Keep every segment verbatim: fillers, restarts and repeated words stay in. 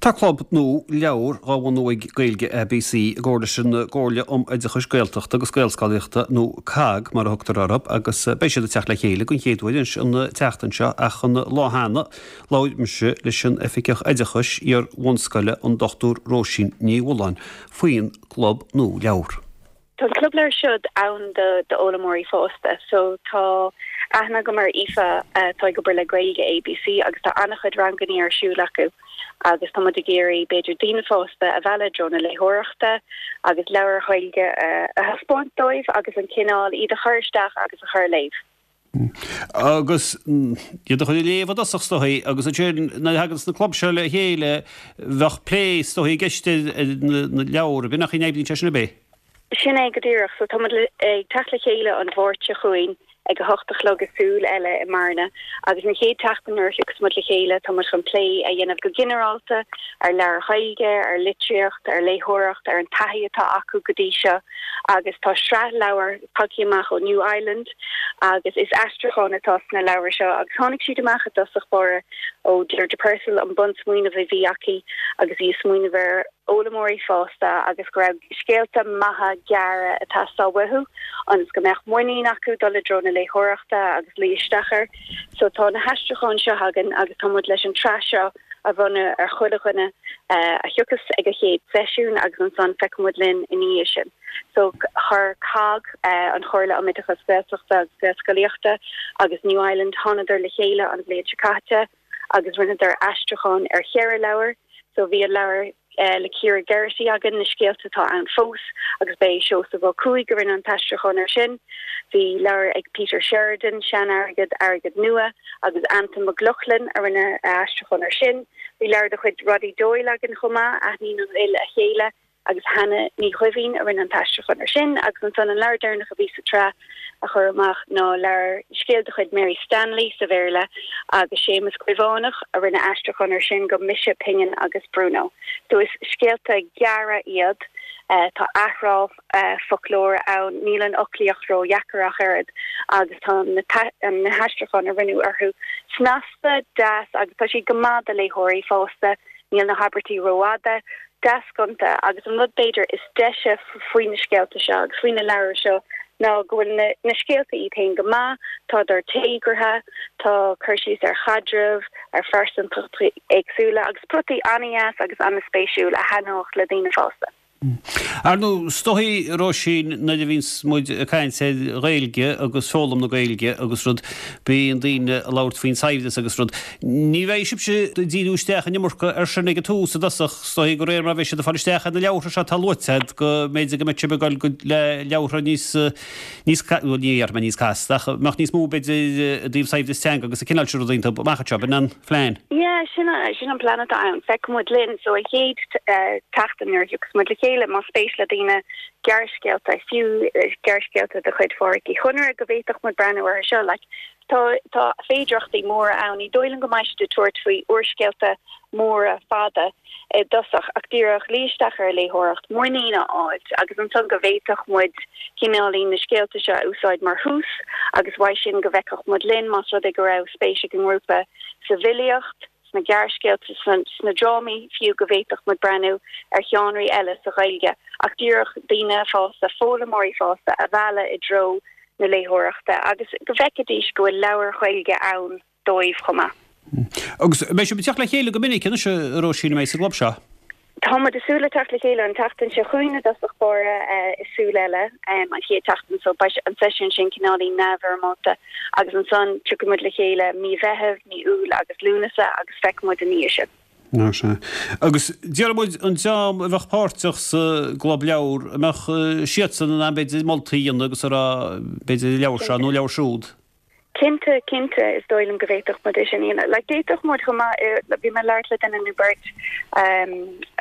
Tá club nua leabhar á bhunú ag Gaeilge ABC i gcomhar leis an gComhairle um Oideachais Gaeltachta agus Gaelscolaíochta nó COGG mar a thugtar orthu agus beidh siad ag teacht le chéile den chéad uair an tseachtain seo ach an lá cheana labhair mise leis an Oifigeach Oideachais iar-bhunscoile an Dr Róisín Ní Mhulláin faoin gclub nua leabhar. Tá an club leabhar seo ann do d'fhoghlaimeoirí fásta, so tá aithne agam ar Aoife tá ag obair le Gaeilge ABC agus tá an-chuid ranganna ar siúl acu agus tá muid ag iarraidh b'fhéidir daoine fásta a mhealladh i dtreo na léitheoireachta agus leabhair Ghaeilge a thaispeáint dóibh agus an cineál iad a chur isteach agus a chur léamh. Agus iad a chur ag léamh i dtosach is dóichí agus ansin nuair a thagann na club seo le chéile bheadh plé is dóichí i gceist ar na leabhair, b'in nach n-oibríonn sé sin ab é? Sin é go díreach, so tá muid ag teacht le chéile an Mháirt seo chugainn ag a hocht a chlog i Súil Eile i mBearna agus an chéad tseachtain nuair a thiocfas muid le chéile tá muid chun plé a dhéanamh go ginearálta ar leabhair Ghaeilge, ar litríocht, ar léitheoireacht, ar an taithí atá acu go dtí seo agus tá sraith leabhar tagtha amach ó New Island agus is aistriúchán atá sna leabhair seo agus tháinig siad amach i dtosach báire ó Deirdre Purcell an bunsmaoineamh a bhí aici agus í ag smaoineamh ar fhoghlaimeoirí fásta agus go raibh scéalta maithe gearra ag teastáil uathu ionas go mbeadh muinín acu dul i dtreo na léitheoireachta agus luí isteach air. So tá na haistriúcháin seo againn agus tá muid leis an tsraith seo a bhronnadh ar chuile dhuine a thiocfas ag an chéad seisiún agus ansan feicfidh muid linn ina dhiaidh sin. So chuir COGG an Chomhairle um Oideachas Gaeltachta agus Gaelscolaíochta agus New Island thánadar le chéile an bhliain seo caite agus rinneadar aistriúchán ar cheithre leabhar, so bhí an leabhar le Ciara Geraghty againn na scéalta atá ann fós agus b'é Seosamh Ó Cuaig a rinne an t-aistriúchán air sin. Bhí leabhar ag Peter Sheridan, Sean-Airgead, Airgead Nua agus Antain Mac Lochlainn a rinne aistriúchán air sin. Bhí leabhar de chuid Roddy Doyle againn chomh maith, Aithníonn an Fhuil a Chéile agus Hannah Ní Chuimhín a rinne an t-aistriúchán air sin agus ansan an leabhar deireanach a bhí sa tsraith a chur amach ná leabhar scéal de chuid Mary Stanley sa Bhéarla agus Séamus Caomhánach a rinne aistriúchán air sin go Mise Pingin agus Bruno. So is scéalta gearra iad uh, tá athrá uh, foclóra ann níl an fhoclaíocht ródheacair ach oiread agus tá na, na haistriúcháin a rinneadh orthu snasta deas agus tá siad go maith do léitheoirí fásta níl na habairtí rófhada deas gonta agus an rud b'fhéidir is deise faoi na scéalta seo agus faoi na leabhair seo ná go bhfuil na, na scéalta iad féin go maith, Tádar téagartha, tá cur síos ar chaidreamh, ar phearsantachtaí éagsúla agus plotaí an-deas agus an-spéisiúil a thaitneodh le daoine fásta. Ar ndóigh is dóichí Róisín nuair a bhíonns muid ag caint ar Ghaeilge agus foghlaim na Gaeilge agus rud bíonn daoine ag labhairt faoin saibhreas agus rud. Ní bheidh sibhse ag díriú isteach an iomarca ar sin ag an tús i dtosach is dóichí de réir mar bheidh siad ag fáil isteach ar na leabhartha seo atá luaite agat go mb'fhéidir go mbeidh sibh ag dul go le leabhartha níos níos bhuel ní dhéarfaidh mé níos casta ach mbeadh níos mó b'fhéidir i dtaobh saibhreas teanga agus an cineál sin rudaí iontu amach anseo b'in an plean. Yeah, sin sin an plean atá ann. Feicfidh muid linn so an chéad tseachtain nuair a thiocfas muid le chéile más spéis le daoine gearrscéalta fiú gearrscéalta de chuid Phádraic Uí Chonaire go bhféadfadh muid breathnú orthu seo like, tá tá féidearthachtaí móra ann ní dóigh liom go mbeidh siad ag tabhairt faoi úrscéalta móra fada i dtosach ach díreach luí isteach ar léitheoireacht muinín a fháil agus ansan go bhféadfadh muid cineáilín na scéalta seo a úsáid mar thús agus uaidh sin go bhfeicfeadh muid linn más rud é go raibh spéis ag an ngrúpa sa bhfilíocht sna gearrscéalta sna drámaí fiú go bhféadfadh muid breathnú ar sheánraí eile sa Ghaeilge ach díreach daoine fásta foghlaimeoirí fásta a mhealladh i dtreo na léitheoireachta agus go bhfeicfidís go bhfuil leabhair Ghaeilge ann dóibh chomh maith. Agus beidh sibh ag teacht le chéile go minic anois a Róisín mé sa gclub seo. Tá muid ag súil le teacht le chéile an tseachtain seo chugainn i dtosach báire i Súil Eile an chéad tseachtain so beidh an seisiún sin cineáilín neamhfhoirmeálta agus ansan tiocfaidh muid le chéile mí Mheithimh, mí Iúil agus Lúnasa agus feicfidh muid ina dhiaidh sin. Ná sé. Agus déarfaidh muid an dream a bheadh páirteach sa gclub leabhar a mbeadh siadsan in ann b'fhéidir moltaí a dhéanamh agus a rá b'fhéidir leabhar seo nó leabhar siúd. Cinnte cinnte is dóigh liom go bhféadfadh muid é sin a dhéanamh. Like d'fhéadfadh muid chomh maith bhí mé ag labhairt le duine nó beirt um,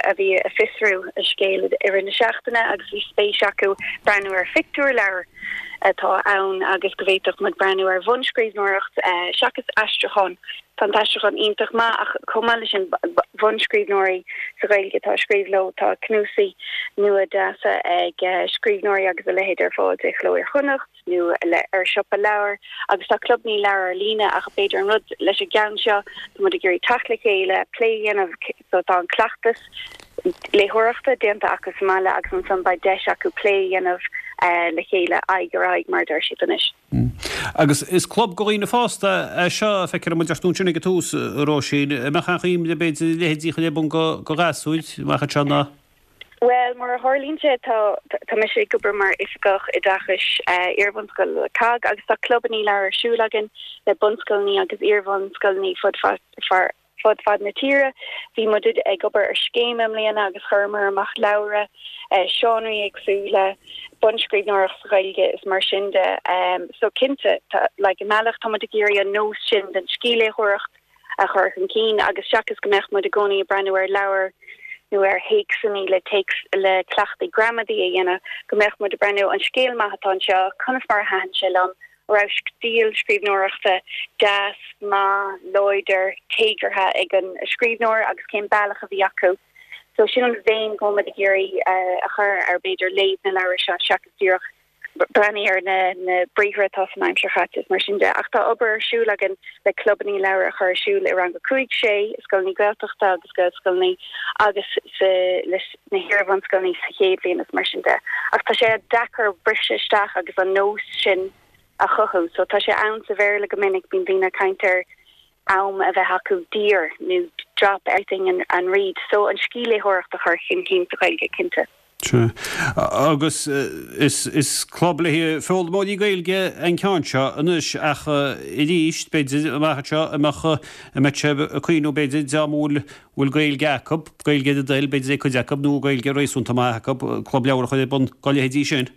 a bhí ag fiosrú a scéal i rith na seachtaine agus bhí spéis acu breathnú ar phictiúrleabhar. atá ann agus go bhféadfadh muid breathnú ar bhunscríbhneoireacht seachas aistriúchán. Tá an t-aistriúchán iontach maith ach chomh maith leis sin bunscríbhneoirí sa Ghaeilge atá ag scríobh leo tá cnuasaigh nua deasa ag scríbhneoirí agus a leithéid ar fáil de Chló Iar-Chonnacht nó le ar siopa leabhar agus tá clubanna leabhar ar líne ach b'fhéidir an rud leis an gceann seo tá muid ag iarraidh teacht le chéile plé a dhéanamh so tá an cleachtas léitheoireachta déanta acu sa mbaile agus ansan beidh deis acu plé a dhéanamh le chéile aghaidh ar aghaidh mar a deir siad anois. Agus is club do dhaoine fásta é seo, feictear dom a deir tú ansin ag an tús, a Róisín. An mbeadh aon chuimhne b'fhéidir leithéidí a chur ar bun do ghasúir amach anseo ná? Bhuel, mar a tharlaíonn sé, tá tá mise ag obair mar oifigeach oideachais iarbhunscoile le COGG agus tá clubanna leabhar ar siúl againn le bunscoileanna agus iarbhunscoileanna fud fad fud fad na tíre. Bhí muid ag obair ar scéim i mbliana agus chuireamar amach leabhra, seánraí éagsúla, bunscríbhneoireacht sa Ghaeilge is mar sin de. So cinnte, tá, like, i mbealach tá muid ag iarraidh an nós sin den scíthléitheoireacht a chur chun cinn agus seachas go mbeadh muid i gcónaí ag breathnú ar leabhair nó ar théacsanna le téacs le cleachtaí gramadaí a dhéanamh, go mbeadh muid ag breathnú an scéal maith atá anseo, conas mar a thaitin sé liom, raibh stíl scríbhneoireachta deas, maith, láidir, téagartha ag an scríbhneoir agus cén bealach a bhí acu. So sin an bhéim go bhfuil muid ag iarraidh a chur ar b'fhéidir léamh na leabhar seo seachas díreach breathnú ar na na briathra atá san aimsir chaite is mar sin de. Ach tá obair ar siúl againn le clubanna leabhar a chur ar siúl i rang a cúig, sé, i scoileanna Gaeltachta agus Gaelscoileanna agus sa leis na hiarbhunscoileanna sa chéad bhliain is mar sin de. Ach tá sé deacair briseadh isteach agus an nós sin a chothú. So tá sé ann sa Bhéarla go minic, bíonn daoine ag caint ar am a bheith acu daor nó drop everything and, and read. So an scíthléitheoireacht a chur chun cinn sa Ghaeilge, cinnte. Sea. Agus is, is club le haghaidh foghlaimeoirí Gaeilge an ceann seo anois ach arís, b'fhéidir, amach anseo, an mbeadh, an mbeadh sibh ag cuimhniú b'fhéidir dá mba bhfuil, bhfuil Gaeilge acu, Gaeilge ar a dtoil, b'fhéidir ag cuid acu nó Gaeilge réasúnta maith acu, club leabhar a chur ar bun dá leithéidí sin?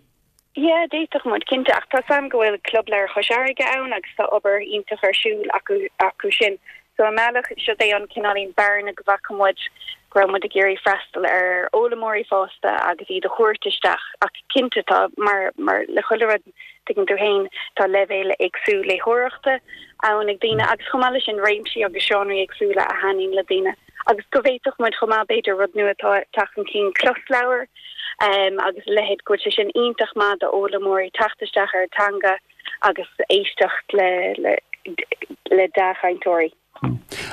Yeah, d'fhéadfadh muid, cinnte, ach tá 's a'm go bhfuil Club Leabhar Chois Fharraige ann agus tá obair iontach ar siúl acu acu sin. So i mbealach, siod é an cineáilín bearna go bhfaca muid go raibh muid ag iarraidh freastal ar fhoghlaimeoirí fásta agus iad a thabhairt isteach ach cinnte tá, mar mar le chuile rud, tuigeann tú féin, tá leibhéal éagsúil léitheoireachta ann ag daoine agus chomh maith leis sin réimsí agus seánraí éagsúla a thaitníonn le daoine. Agus go bhféadfadh muid chomh maith, b'fhéidir, rud nua atá ag teacht chun cinn, closleabhair agus a leithéid, go bhfuil sé sin iontach maith d'fhoghlaimeoirí teacht isteach ar an teanga agus éisteacht le le dea-chainteoirí.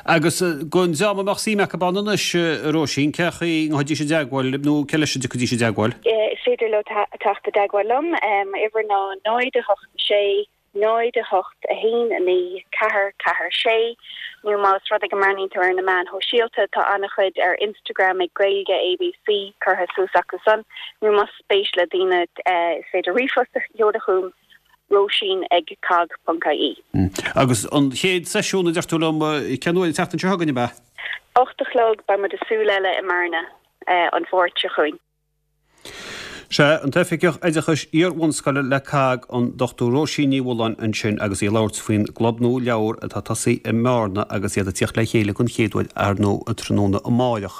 Agus don dream a mbeadh suim acu ann anois, a Róisín, cén chaoi a ngabhfaidís i dteagmháil libh nó cé leis a dtiocfaidís i dteagmháil? Is féidir leo teacht i dteagmháil liom, m'uimhir ná náid a hocht sé. náid a hocht a haon a naoi ceathair ceathair sé nó más rud é go mbreathnaíonn tú ar na meáin shóisialta tá an-chuid ar Instagram ag Gaeilge ABC curtha suas acu san nó más spéis le daoine is féidir ríomhphost a sheoladh chugam róisín ag cogg ponc ie. Agus an chéad seisiún a deir tú liom cén uair an tseachtain seo chugainn ab ea? Ocht a chlog beidh muid i Súil Eile i mBearna an Mháirt seo chugainn. Sea, an tOifigeach Oideachais Iar-bhunscoile le cogg, an Dochtúir Róisín Ní Mhulláin ansin agus í ag labhairt faoin gclub nua leabhar atá tosaithe i mBearna agus iad ag tíocht le chéile den chéad uair ar ndóigh tráthnóna amáireach.